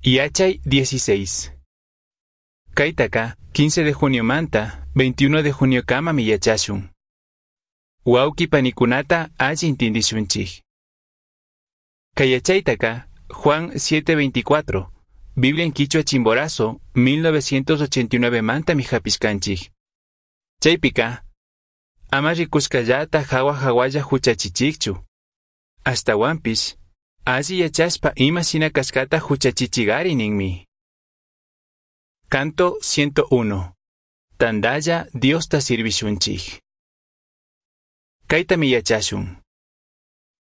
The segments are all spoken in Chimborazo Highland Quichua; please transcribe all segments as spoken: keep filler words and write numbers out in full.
Yachay dieciséis. Kaitaka, quince de junio manta, veintiuno de junio kamami yachashun. Wauki panikunata alli intindishunchik. Kay yachaytaka, Juan siete veinticuatro, Biblia en Quichua Chimborazo, mil novecientos ochenta y nueve mantami hapishkanchik. Chaypika, ama rikushkallata hawa hawalla huchachichikchu. Ashtawanpish, alli yachashpa ima shina kashkata huchachichigari ninmi. Canto ciento uno. Tandalla Diosta sirvishunchik. Kaytami yachashun.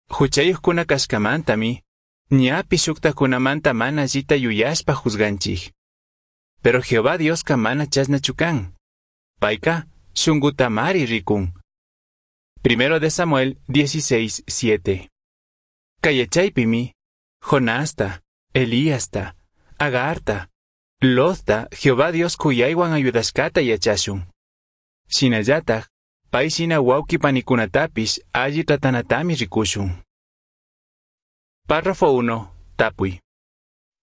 Huchayuqkuna kashkamantami, ñapi shuktakunamanta mana allita yuyashpa juzganchik. Pero Jehová Dioska mana chashnachu kan. Payka shunkutamari rikun. Primero de Samuel dieciséis siete. Kay yachaypimi, Jonasta, Elíasta, Agarta, Lotta, Jehová Dios kuyaywan ayudashkata yachashun. Shinallataj, pay shina wawqi panikunatapish alli tratanatami rikushun. Párrafo uno. Tapuy.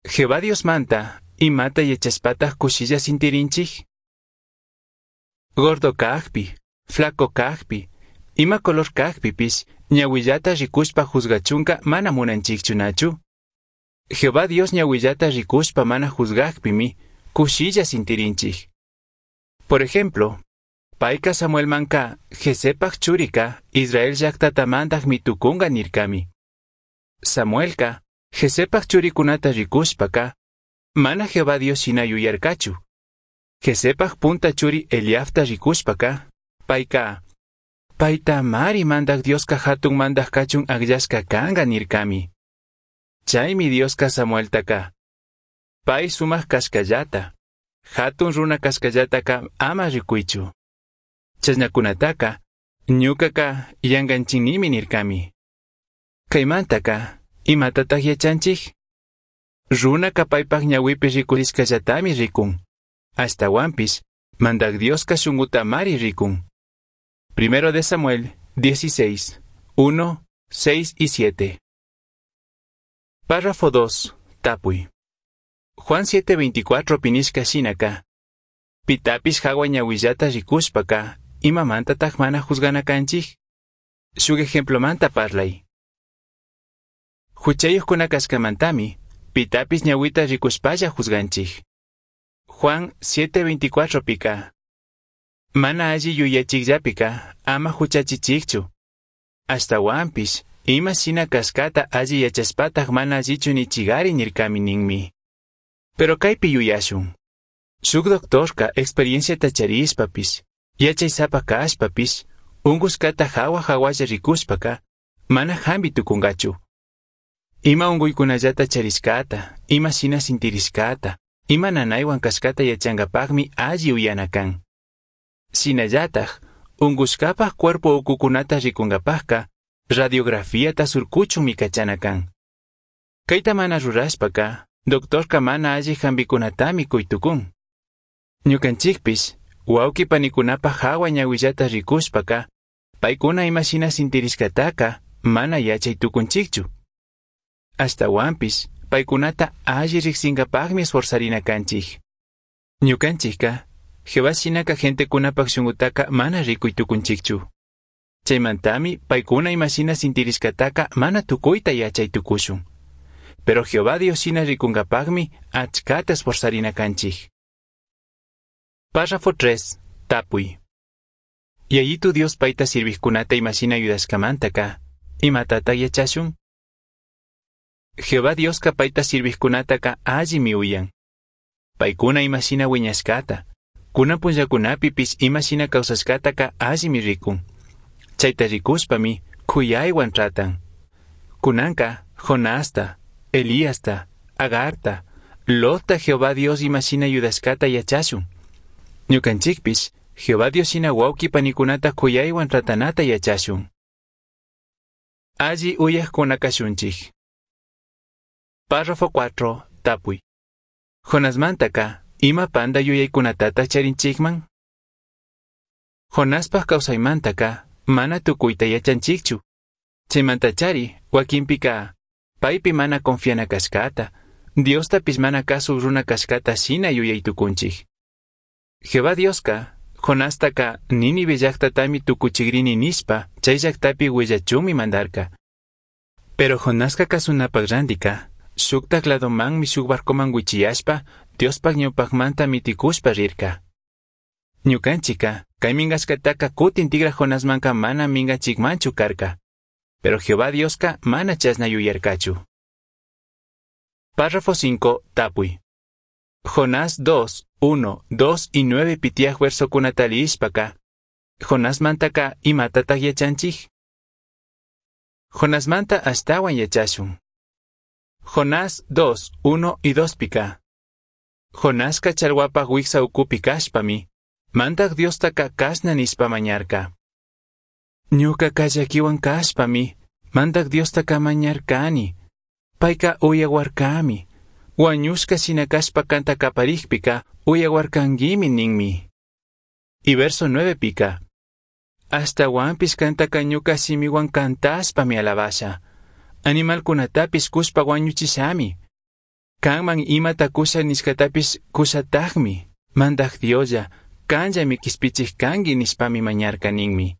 Jehová Dios manta, imata yachashpataj kushilla sintirinchik? Gordo kajpi, flaco kajpi, ima color kajpipish, ñawillata rikushpa juzgachunka mana munanchikchu nachu. Jehová Dios ñawillata rikushpa mana juzgajpimi, kushilla sintirinchik. Por ejemplo, payka Samuelmanka, Jesepaj churika, Israel llaqtata mandaj mitukunga nirkami. Samuelka, Jesepaj churikunata rikushpaka, mana Jehová Dios shina yuyarkachu. Jesepaj punta churi Eliabta rikushpaka, payka, payta mari mandaj Dioska hatun mandaj kachun akllashka kanga nirkami. Chaymi Dioska Samueltaka, pay sumaq kashkallata, hatun runa kashkallataka ama rikuychu. Chashnakunataka, ñukaka yankanchinimi nirkami. Kaymantaka, imatataq yachanchik? Runaka paypaq ñawipi rikurishkallatami rikun. Ashtawanpish, mandaj Dioska shunkutamari rikun. Primero de Samuel dieciséis, uno, seis y siete. Párrafo dos. Tapuy. Juan siete veinticuatro pinishka shinaka. Pitapish hawa ñawillata rikushpaka, imamantataq mana juzgana kanchik? Shuk ejemplomanta parlay. Huchayuqkuna kashkamantami, pitapish ñawita rikushpalla juzganchik. Juan siete veinticuatro pika. Mana alli yuyachikllapika, ama huchachichikchu. Ashtawanpish, ima shina kashkata alli yachashpataq mana allichu nichigari nirkami ninmi. Pero kaypi yuyashun. Shuk doctorka experienciata charishpapish, yachaysapa kashpapish, unkushkata hawa hawalla rikushpaka, mana hampi tukunkachu. Ima unkuykunallata charishkata, ima shina sintirishkata, ima nanaywan kashkata yachankapaqmi alli uyana kan. Shinallataj, unkushkapaj cuerpo ukukunata rikunkapajka, radiografiata surkuchunmi kachana kan. Kayta mana rurashpaka, doctorka mana alli hampikunatami kuytukun. Ñukanchikpish, wawqi panikunapaj hawa ñawillata rikushpaka, paykuna ima shina sintirishkataka mana yachay tukunchikchu. Ashtawanpish, paykunata alli riksinkapaqmi esforzarina kanchik. Ñukanchikka, Jehová shinaka gentekunapaj shunkutaka mana rikuy tukunchikchu. Chaymantami paykuna ima shina sintirishkataka mana tukuyta yachay tukushun. Pero Jehová Dios shina rikunkapaqmi achkata esforzarina kanchik. Párrafo tres. Tapuy. Yayitu Dios payta sirvijkunata ima shina ayudashkamantaka, imatataq yachashun? Jehová Dioska payta sirvijkunataka allimi uyan. Paykuna ima shina wiñashkata, kunan punllakunapipish ima shina kawsashkataka allimi rikun. Chayta rikushpami kuyaywan tratan. Kunanka Jonasta, Elíasta, Agarta, Lotta Jehová Dios ima shina ayudashkata yachashun. Ñukanchikpish Jehová Dios shina wawqi panikunata kuyaywan tratanata yachashun. Alli uyaqkuna kashunchik. Párrafo cuatro. Tapuy. Jonasmantaka, ima panda yuyaykunatata charinchikman? Jonaspaj kawsaymantaka, mana tukuyta yachanchikchu. Chaymantachari, wakinpika, paypi mana confiana kashkata, Diostapish mana cazuj runa cashcata shina yuyai tucunchij. Jehová Diosca Jonastaca Nínive llajtatami tucuchigrini nishpa chai llajtapi huillachunmi mandarca. Pero Jonasca cazunapaj randica shujtaj ladomanmi shuj barcoman huichiyashpa Diospaj ñaupajmanta miticushpa rirca. Ñucanchijca cai mingashcataca cutin tigra Jonasmanca mana mingachijmanchu carca. Pero Jehová Diosca mana chashna yuyarcachu. Párrafo cinco. Tapui. Jonás dos, uno, dos y nueve tiyaj versocunata liyishpaca. Jonasmantaca imatataj yachanchij? Jonasmanta ashtahuan yachashun. Jonás dos, uno y dos pica. Jonasca chalhuapaj huicsa ucupi cashpami, Mandaj Diostaca cashna nishpa mañarca. Ñucaca llaquihuan cashpami, Mandaj Diostaca mañarcani. Paica uyahuarcami. Huañushca shina cashpa canta caparijpica, uyahuarcanguimi ninmi. Y verso nueve pica. Ashtahuanpish cantaca ñuca shimihuan cantashpami alabasha. Animalcunatapish cushpa huañuchishami. Canman imata cusha nishcatapish cushatajmi. Mandaj Dioslla, canllami quishpichij cangui nishpami mañarca ninmi.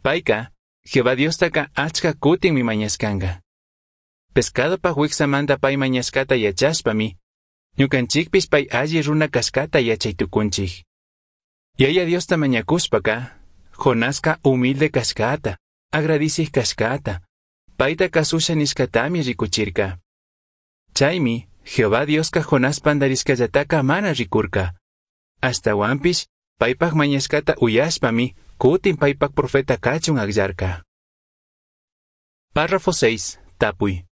Paica, Jehová Diostaca achca cutinmi mañashcanga. Pescadopaj huicsamanta pai mañashcata yachashpami, ñucanchijpish pai alli runa cashcata yachai tucunchij. Yaya Diosta mañacushpaca, Jonasca humilde cashcata, agradicij cashcata, paita cazusha nishcatami ricuchirca. Chaimi, Jehová Diosca Jonás pandarishcallataca mana ricurca. Ashtahuanpish, paipaj mañashcata uyashpami, cutin paipaj profeta cachun agllarca. Párrafo seis. Tapui.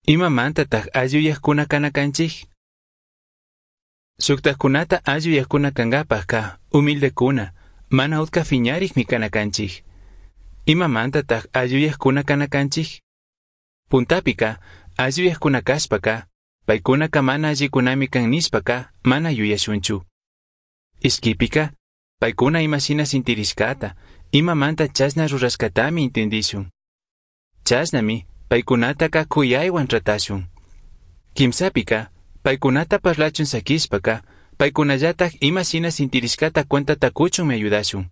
Imamantataj alli uyajcuna cana canchij? Shujtajcunata alli uyajcuna cangapajca, humildecuna, mana utca fiñarijmi cana canchij. Imamantataj alli uyajcuna cana canchij? Puntapica, alli uyajcuna cashpaca, paicunaca mana allicunami can nishpaca, mana yuyashunchu. Ishquipica, paicuna ima shina sintirishcata, imamanta chashna rurashcatami intindishun. Chashnami, paicunataca cuyaihuan tratashun. Quimsapica, paicunata parlachun saquishpaca, paicunallataj ima shina sintirishcata cuentata cuchunmi ayudashun.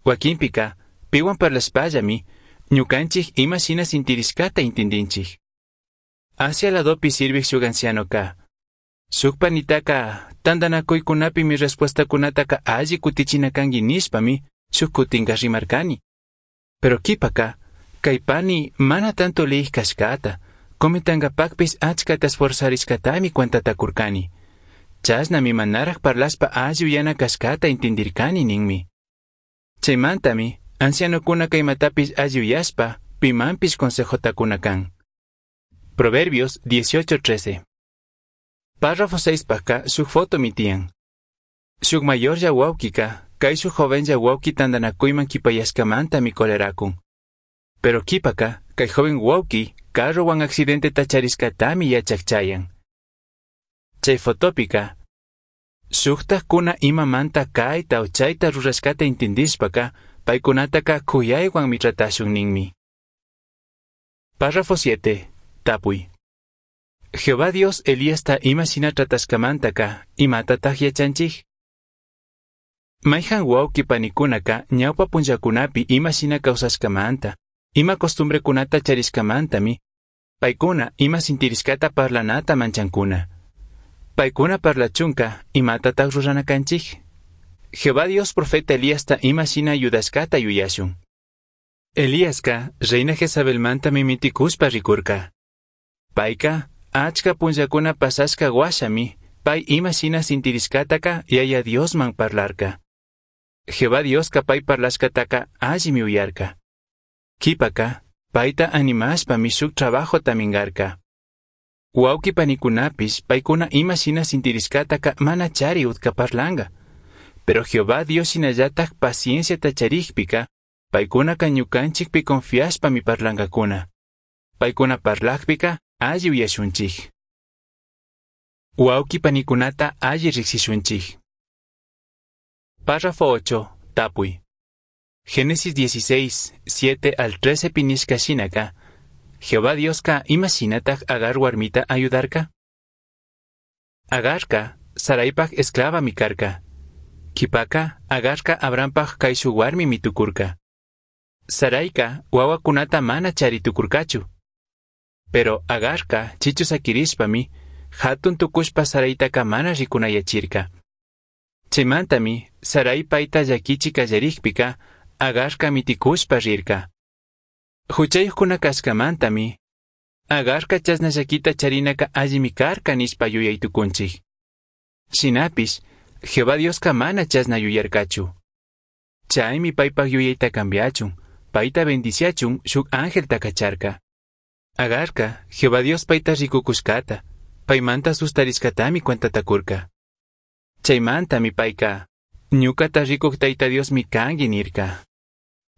Huaquinpica, pihuan parlashpallami, ñucanchij ima shina sintirishcata intindinchij. Asia ladopi sirvij shuk ancianoca, shuk panitaca tandanacuicunapimi respuestacunataca alli cutichina cangui nishpami shuk cutinca rimarcani. Pero quipaca, cai pani mana tanto liyij cashcata, comentangapajpish achcata esforzarishcatami cuentata curcani. Chashnami manaraj parlashpa alli uyana cashcata intindircani ninmi. Chaimantami, ancianocunaca imatapish alli uyashpa, pimanpish consejota cuna can. Proverbios dieciocho trece. Párrafo seis pajca shuk fotomi tiyan. Shuk mayorlla huauquica, caishuj jovenlla huauqui tandanacuyman quipayashcamantami coleracun. Pero quipaca, cai joven huauqui, carrohuan accidenteta charishcatami yachaj chayan. Chay fotopica, shujtajcuna imamanta caita o chaita rurashcata intindishpaca, paicunataca cuyaihuanmi tratashun ninmi. Párrafo siete. Tapui. Jehová Dios Elíasta ima shina tratashcamantaka, imatataj yachanchij? Maijan huauqui panicunaca ñaupa punllacunapi ima shina causashcamanta, ima costumbrecunata charishcamantami, paicuna ima sintirishcata parlanata manchancuna. Paicuna parlachunca, imatataj rurana canchij? Jehová Dios profeta Elíasta ima shina ayudashcata yuyashun. Elíasca, reina Jezabelmantami miticushpa ricurca. Paica, achca punllacuna pasashca huashami, pai ima shina sintirishcataca Yaya Diosman parlarca. Jehová Diosca pai parlashcataca allimi uyarca. Quipaca, paita animashpami shuk trabajota mingarca. Huauqui panicunapish paicuna ima shina sintirishcataca mana chari utca parlanga. Pero Jehová Dios shinallataj pacienciata charijpica, paicunaca ñucanchikpi confiashpami parlangacuna. Paicuna parlajpica alli uyashunchij. Huauqui panicunata alli rijsishunchij. Párrafo ocho. Tapui. Génesis dieciséis, siete al trece pinishka shinaka, Jehová Dioska ima shinataj Agar warmita ayudarka? Agarca Saraipaj esclavami carca. Q'uipaca Agarca Abrampaj caishuj huarmimi tucurca. Saraica huahuacunata mana chari tucurcachu. Pero Agarca chichu saquirishpami jatun tucushpa Saraitaca mana ricunayachirca. Chaimantami Sarai paita llaquichi callarijpica Agarca miticushpa rirca. Juchayujcuna cashcamantami Agarca chashna llaquita charinaca allimi carca nishpa yuyai tucunchij. Shinapish Jehová Diosca mana chashna yuyarcachu. Chaimi paipaj yuyaita cambiachun, paita bendiciachun shuj angelta cacharca. Agarca Jehová Dios paita ricucushcata, paimanta sustarishcatami cuentata curca. Chaimantami paica, ñucata ricuj Taita Diosmi cangui nirca.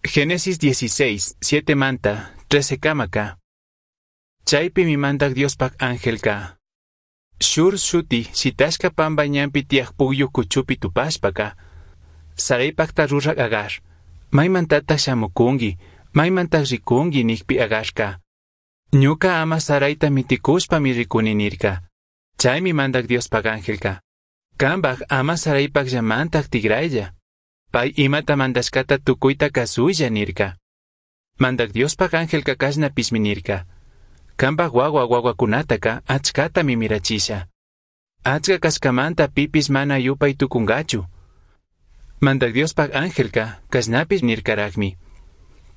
Génesis dieciséis, siete manta, trece camaca. Chaipimi mandaj Diospaj angelca. Shur shuti shitashca pamba ñanpi tiyaj pugyu cuchupi tupashpaca, Saraipajta ruraj Agar, maimantataj shamucungui, maimantaj ricungui nijpi Agarca. Ñuca ama Saraita miticushpami ricuni nirca. Chaimi mandaj Diospaj angelca. Cambaj ama Saraipajllamantaj tigraylla. Pai imata mandashcata tucuita cazuilla nirca. Mandaj Diospaj angelca cashnapishmi nirca. Cambaj huahua huahuacunataca achcatami mirachisha. Achca cashcamanta pipis mana yupai tucungachu. Mandaj Diospaj angelca cashnapish nircarajmi.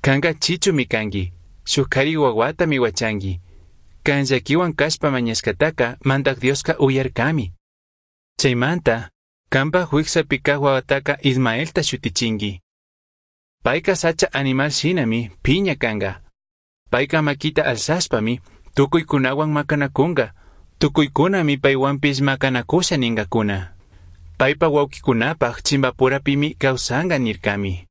Canca chichumi cangui, shuj cari huahuatami huachangui. Can llaquihuan cashpa mañashcataca Mandaj Diosca uyarcami. Chaimanta, cambaj huijsapi caj huahuataca Ismaelta shutichingui. Paica sacha animal shinami piña canga. Paica maquita alzashpami tucuicunahuan macanacunga, tucuicunami paihuanpish macanacusha ningacuna. Paipa huauquicunapaj chimbapurapimi causanga nircami.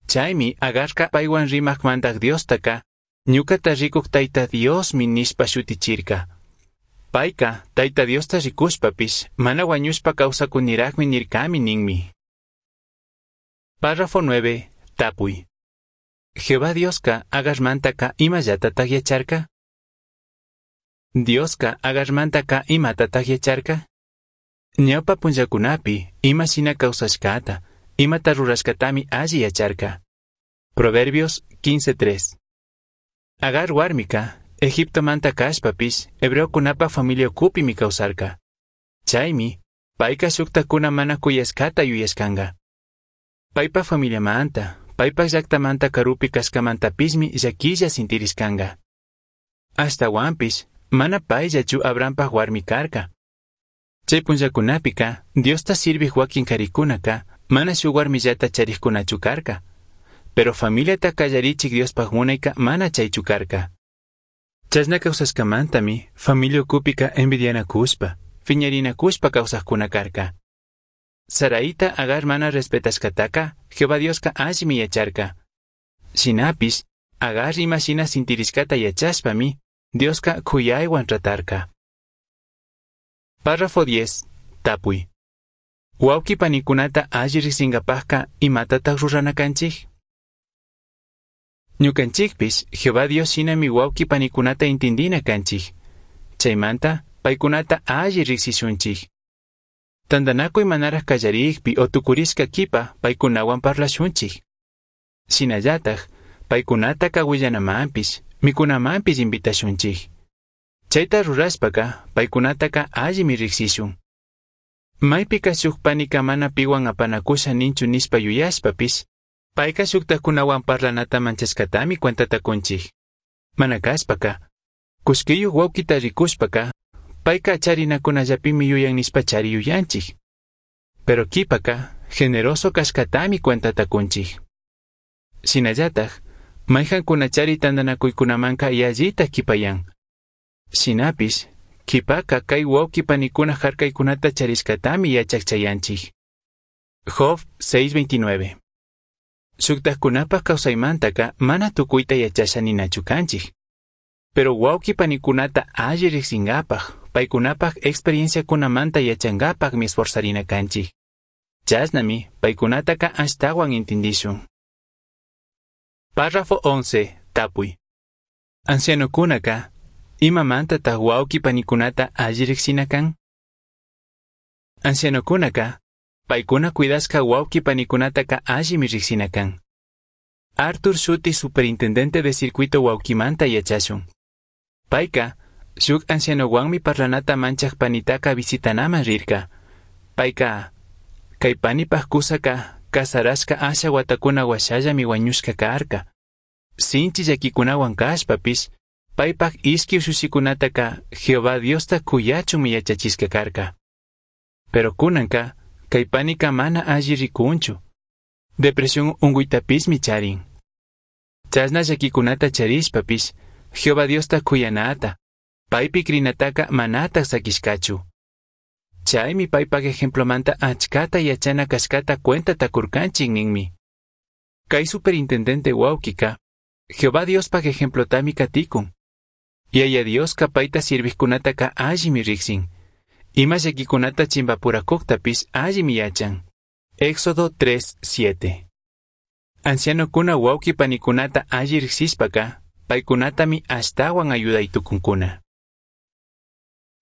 Chaimi Agarca paihuan rimaj Mandaj Diostaca, ñucata ricuj Taita Diosmi nishpa shutichirca. Paica Taita Diosta ricushpapish mana huañushpa causacunirajmi nircami ninmi. Párrafo nueve. Tapui. Jehová Diosca Agarmantaca imallatataj yacharca? Diosca Agarmantaca imatataj yacharca? Ñawpa punllacunapi ima shina causashcata, imata rurashcatami alli yacharca. Proverbios quince tres. Agar huarmica, Egiptomanta cashpapish, hebreocunapaj familia ucupimi causarca. Chaimi, paica shujtajcuna mana cuyashcata yuyashcanga. Paipa familiamanta, paipaj llactamanta carupi cashcamantapishmi llaquilla sintirishcanga. Ashtahuanpish, mana paillachu Abrampaj huarmi carca. Chai punllacunapica, Diosta sirvij huaquin caricunaca, mana shuj huarmillata charijcunachu carca. Pero familiata callarichij Diospaj munaica mana chaichu carca. Chashna causashcamantami, familia ucupica envidianacushpa, fiñarinacushpa causajcuna carca. Saraita Agar mana respetashcataca, Jehová Diosca allimi yacharca. Shinapish, Agar ima shina sintirishcata yachashpami, Diosca cuyaihuan tratarca. Párrafo diez. Tapui. Huauqui panicunata alli ricsingapajca imatataj rurana canchij? Ñucanchijpish Jehová Dios shinami huauqui panicunata intindina canchij. Chaimanta, paicunata alli ricsishunchij. Tandanacuy manaraj callarijpi o tucurishca quipa paicunahuan parlashunchij. Shinallataj, paicunataca huillanamanpish, micunamanpish invitashunchij. Chaita rurashpaca, paicunataca allimi ricsishun. Maipica shuj panica mana pihuan apanacusha ninchu nishpa yuyashpapish, paica shujtajcunahuan parlanata manchashcatami cuentata cunchij. Mana cashpaca, cullquiyuj huauquita ricushpaca, paica charinacunallapimi yuyan nishpa chari yuyanchij. Pero quipaca, generoso cashcatami cuentata cunchij. Shinallataj, maijancuna chari tandanacuicunamanca yallitaj quipayan. Shinapish, quipaca cai huauqui panicuna jarcaicunata charishcatami yachaj chayanchij. Job seis veintinueve. Shujtajcunapaj causaimantaka mana tucuita yachasha ninachu canchij. Pero huauqui panicunata alli ricsingapaj, paicunapaj experienciacunamanta yachangapajmi esforzarina canchij. Chashnami paicunataca ashtahuan intindishun. Párrafo once. Tapui. Ancianocunaca, imamantataj huauqui panicunata alli ricsina can? Ancianocunaca, paicuna cuidashca huauqui panicunataca allimi rijsina can. Arthur shuti superintendente de circuito huauquimanta yachashun. Paica, shuk ancianohuanmi parlanata manchaj panitaca visitanaman rirca. Paica, kay panipaj cusaka casarashka asha huatakuna huashallami huañushka karka. Sinchi llaquikunawan kashpapish, paypaj ishki ushushikunataka Jehová Diosta kuyachunmi yachachishka karka. Pero kunanka, kay panika mana alli rikunchu. Depresión unguytapismi charin. Chashna llaquikunata charishpapish, Jehová Diosta kuyanata, paypi crinataka manataj sakishkachu. Chaymi paypaj ejemplomanta achkata yachana kashkata cuentata kurkanchik ninmi. Kay superintendente wawkika, Jehová Diospaj ejemplotami katikun. Yaya Dioska payta sirvijkunataka allimi riksin. Ima llakikunata chimpapurakuktapish allimi yachan. Éxodo tres, siete. Ancianokuna wawqi panikunata alli riksishpaka, paykunatami ashtawan ayuday tukunkuna.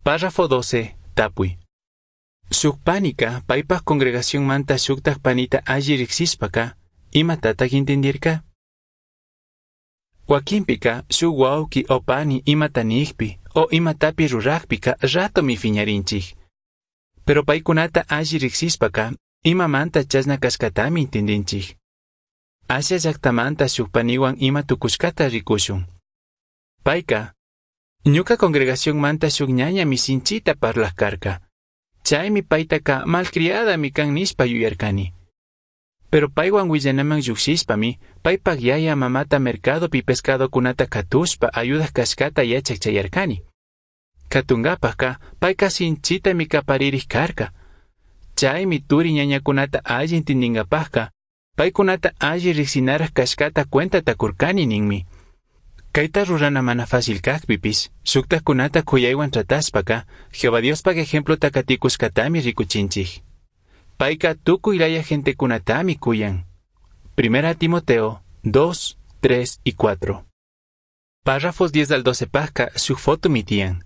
Párrafo doce. Tapuy. Shuk panika paypaj congregacionmanta shuktaj panita alli riksishpaka, imatataj intindirka? Wakinpika shuk wawqi o pani imata nijpi o imatapi rurajpika ratomi fiñarinchik. Pero paykunata alli riksishpaka, imamanta chashna kashkatami intindinchik. Asia llaktamanta shuk paniwan ima tukushkata rikushun. Payka, ñuka congregacionmanta shuk ñañami sinchita parlaj karka. Chaymi paytaka malcriadami kan nishpa yuyarkani. Pero paywan willanaman llukshishpami, paypak yaya mamata mercadopi pescadokunata katushpa ayudak kashkata yachak chayarkani. Katunkapajka payka sinchitami kaparirij karka. Chaymi turi ñañakunata alli intindinkapajka, paykunata alli riksinaraj kashkata cuentata kurkani ninmi. Kayta rurana mana fácil kajpipish, shuktajkunata kuyaywan tratashpaka, Jehová Diospaj ejemplota katikushkatami rikuchinchik. Payka tukuy laya gentekunatami kuyan. Primera Timoteo dos, tres y cuatro. Párrafos diez al doce pajka shuk fotomi tiyan.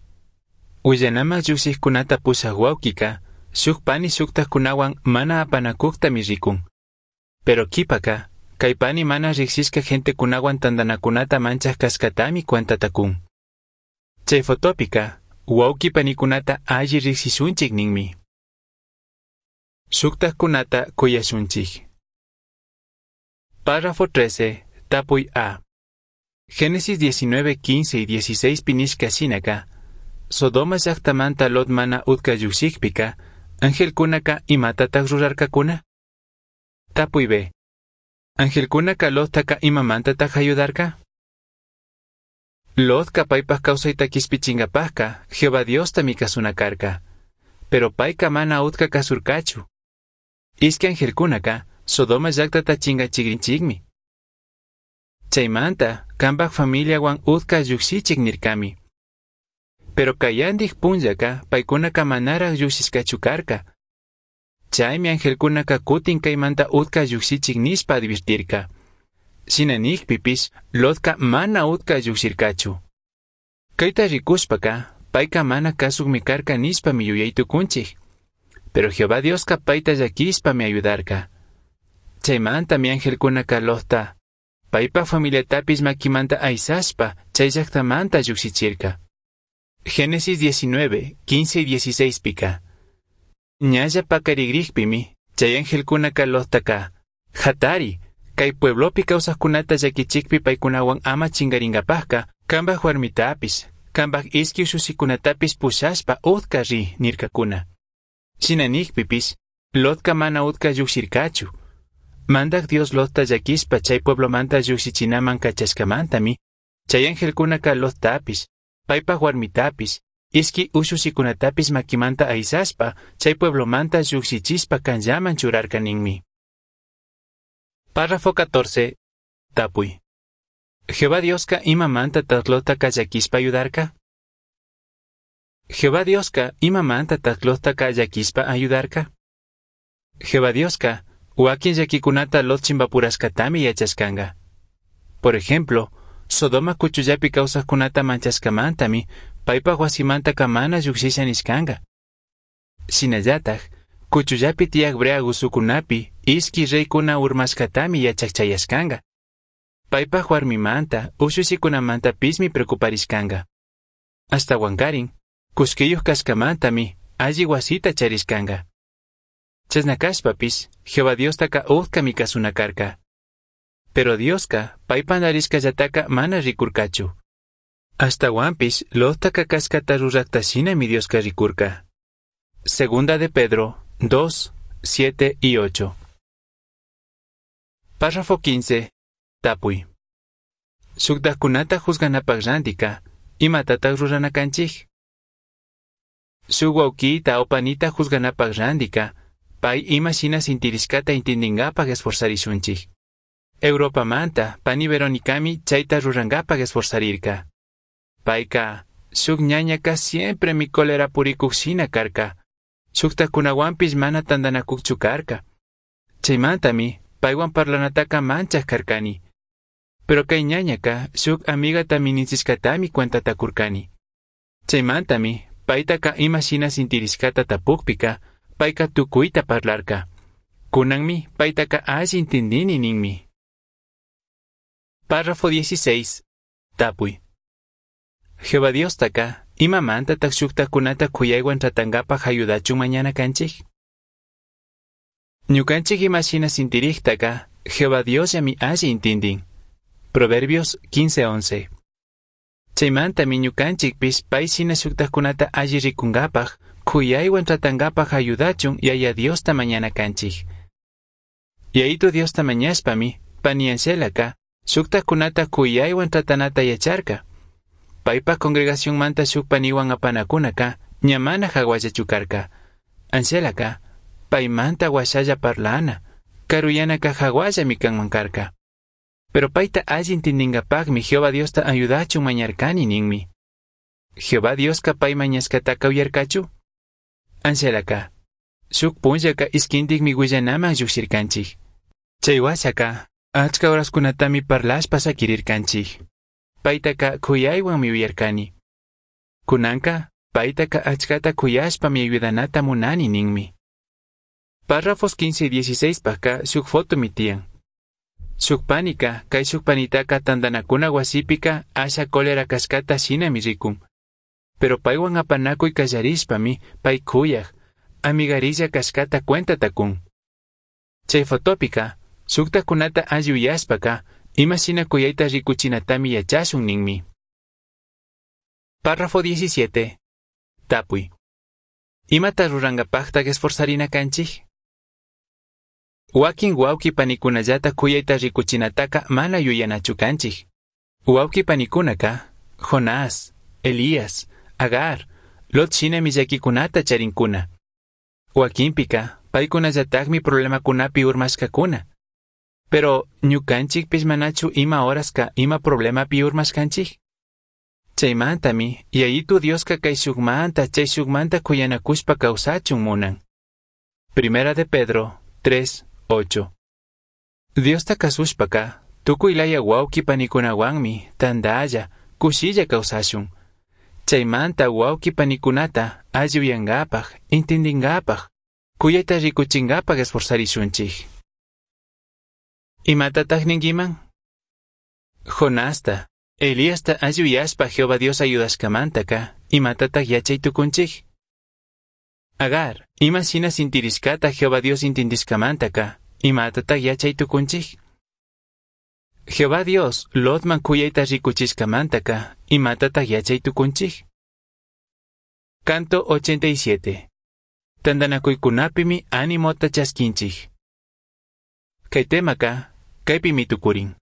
Willanaman llushijkunata pushaj wawkika, shuk pani shuktajkunawan mana apanakuktami rikun. Pero kipaka, kay pani mana riksishka gentekunawan tantanakunata manchaj kashkatami cuentata kun. Chay fotopika, wawki panikunata alli riksishunchik ninmi. Shuktajkunata kuyashunchik. Párrafo trece, tapuy A. Génesis diecinueve, quince y dieciséis pinishka shinaka, Sodoma llaktamanta Lot mana utka llukshikpika, angelkunaka imatataj rurarkakuna? Tapuy B. Angelkunaka Lottaka imamantataj ayudarka? Lotka paypaj kawsayta kishpichinkapajka, Jehová Diostami kasuna karka. Pero payka mana utka kasurkachu. Ishki angelkunaka Sodoma llaktata chinkachikrinchikmi. Chaymanta, kanpaj familiawan utka llukshichik nirkami. Pero kayandij punllaka paykunaka manaraj llukshishkachu karka. Chaymi angelkunaka kutin kaymanta utka llukshichik nishpa advirtirka. Shina nijpipish, Lotka mana utka llukshirkachu. Kayta rikushpaka, payka mana kasukmi karka nishpami yuyay tukunchik. Pero Jehová Dioska payta llakishpami ayudarka. Chaymantami angelkunaka Lotta, paypa familiatapish makimanta aysashpa chay llaktamanta llukshichirka. Génesis diecinueve, quince y dieciséis pika. Ñalla pakarigrijpimi, chay angelkunaka Lottaka, hatari, kay pueblopi kawsajkunata llakichikpi paykunawan ama chinkaringapajka, kanpaj warmitapis, kanpaj ishki ushushikunatapis pushashpa utka ri nirkakuna. Shina nijpipish, Lotka mana utka llukshirkachu. Mandak Dios Lotta llakishpa chay pueblomanta llukshichinaman kachashkamantami, chay angelkunaka Lottapis, paypaj warmitapis, ishki ushushikunatapis makimanta aysashpa, chay pueblomanta llukshichishpa kanllaman churarka ninmi. Párrafo catorce. Tapuy. Jehová Dioska imamantataj Lottaka llakishpa ayudarka? Jehová Dioska imamantataj Lottaka llakishpa ayudarka? Jehová Dioska wakin llakikunata Lot chimpapurashkatami yachashkanga. Por ejemplo, Sodoma kuchullapi kawsajkunata manchashkamantami paypaj wasimantaka mana llukshisha nishkanga. Shinallataj, Cuchullapi tiyaj brea guzucunapi ishqui reycuna urmashcatami yachaj chayashcanga. Paipaj huarmimanta, ushushicunamantapishmi preocuparishcanga. Ashtahuancarin, cullquiyuj cashcamantami alli huasita charishcanga. Chashna cashpapish, Jehová Diostaca utcami cazuna carca. Pero Diosca pai pandarishcallataca mana ricurcachu. Ashtahuanpish Lottaca cashcata rurajta shinami Diosca ricurca. Segunda de Pedro dos, siete y ocho. Párrafo quince. Tapui. Shuktajkunata juzganapaj rantika, imatataj rurana canchij? Shuk wawkita o panita juzganapaj rantika, pai ima shina sintirishcata intindingapaj esforzarishunchij. Europamanta, pani Veronicami chayta rurangapaj esforzarirka. Payka, shuk ñañaka siempre mi cólera purikuj shina karka. Shuktajkunawanpish mana tandanakukchu karka. Chaymantami, paywan parlanataka manchaj karkani. Pero kay ñañaka shuk amigata minishishkatami cuentata kurkani. Chaymantami, paytaka ima shina sintirishkata tapukpika, payka tukuyta parlarka. Kunanmi, paytaka alli intindini ninmi. Párrafo dieciséis. Tapuy. Jehová Diostaka, imamantataj shuktajkunata kuyaywan tratangapaj ayudachun mañana kanchik? Ñukanchik ima shina sintirijtaka, Jehová Diosllami alli intindin. Proverbios quince once. Chaymantami ñukanchikpish pay shina shuktajkunata alli rikunkapaj, kuyaywan tratangapaj ayudachun Yaya Diosta mañana kanchik. Yayitu Diosta mañashpami, pani Angelaka, shuktajkunata kuyaywan tratanata yacharka. Paypaj congregacionmanta shuk paniwan apanakunaka, ña mana jawallachu karka. Angelaka, paymanta washalla parlana, karuyanaka jawallami kanman karka. Pero payta alli intindingapajmi Jehová Diosta ayudachun mañarkani ninmi. Jehová Dioska pay mañashkataka uyarkachu? Angelaka, shuk punllaka ishkintikmi willanaman llujshirkanchik. Chay washaka, achka horaskunatami parlashpa sakirirkanchik. Paytaka kuyaywanmi uyarkani. Kunanka, paytaka achkata kuyashpami ayudanata munani ninmi. Párrafos quince y dieciséis pajka shuk fotomi tiyan. Shuk panika, kay shuk panitaka tandanakuna wasipika asha cólera kashkata shinami rikun. Pero paywan apanakuy kallarishpami pay kuyaj, amigarilla kashkata cuentata kun. Chay fotopika, shuktajkunata alli uyashpaka, ima shina kuyayta rikuchinatami yachashun ninmi. Párrafo diecisiete. Tapuy. Imata rurangapajtaj esforzarina kanchik? Wakin wawki panikunallata kuyayta rikuchinataka mana yuyanachu kanchik. Wawki panikunaka, Jonás, Elías, Agar, Lot shinami llakikunata charinkuna. Wakinpika, paykunallatakmi problemakunapi urmashkakuna. Pero ñukanchikpish manachu ima horaska ima problemapi urmashkanchik? Chaymantami, Yayitu Dioska kay shukmanta chay shukmanta kuyanakushpa kawsachun munan. Primera de Pedro tres, ocho. Diosta kasushpaka, tukuy laya wawki panikunawanmi, tandalla, kushilla kawsashun. Chaymanta wawki panikunata alli uyankapaj, intindinkapaj, kuyayta rikuchinkapaj esforzarishunchik. Imatataj ninkiman? Jonasta, Elíasta alli uyashpa Jehová Dios ayudashkamantaka, imatataj yachay tukunchik? Agar, ima shina sintirishkata Jehová Dios intindishkamantaka, imatataj yachay tukunchik? Jehová Dios Lotman kuyayta rikuchishkamantaka, imatataj yachay tukunchik? Canto ochenta y siete. Tandanakuykunapimi animota chaskinchik. Kay temaka, kaypimi tukurin.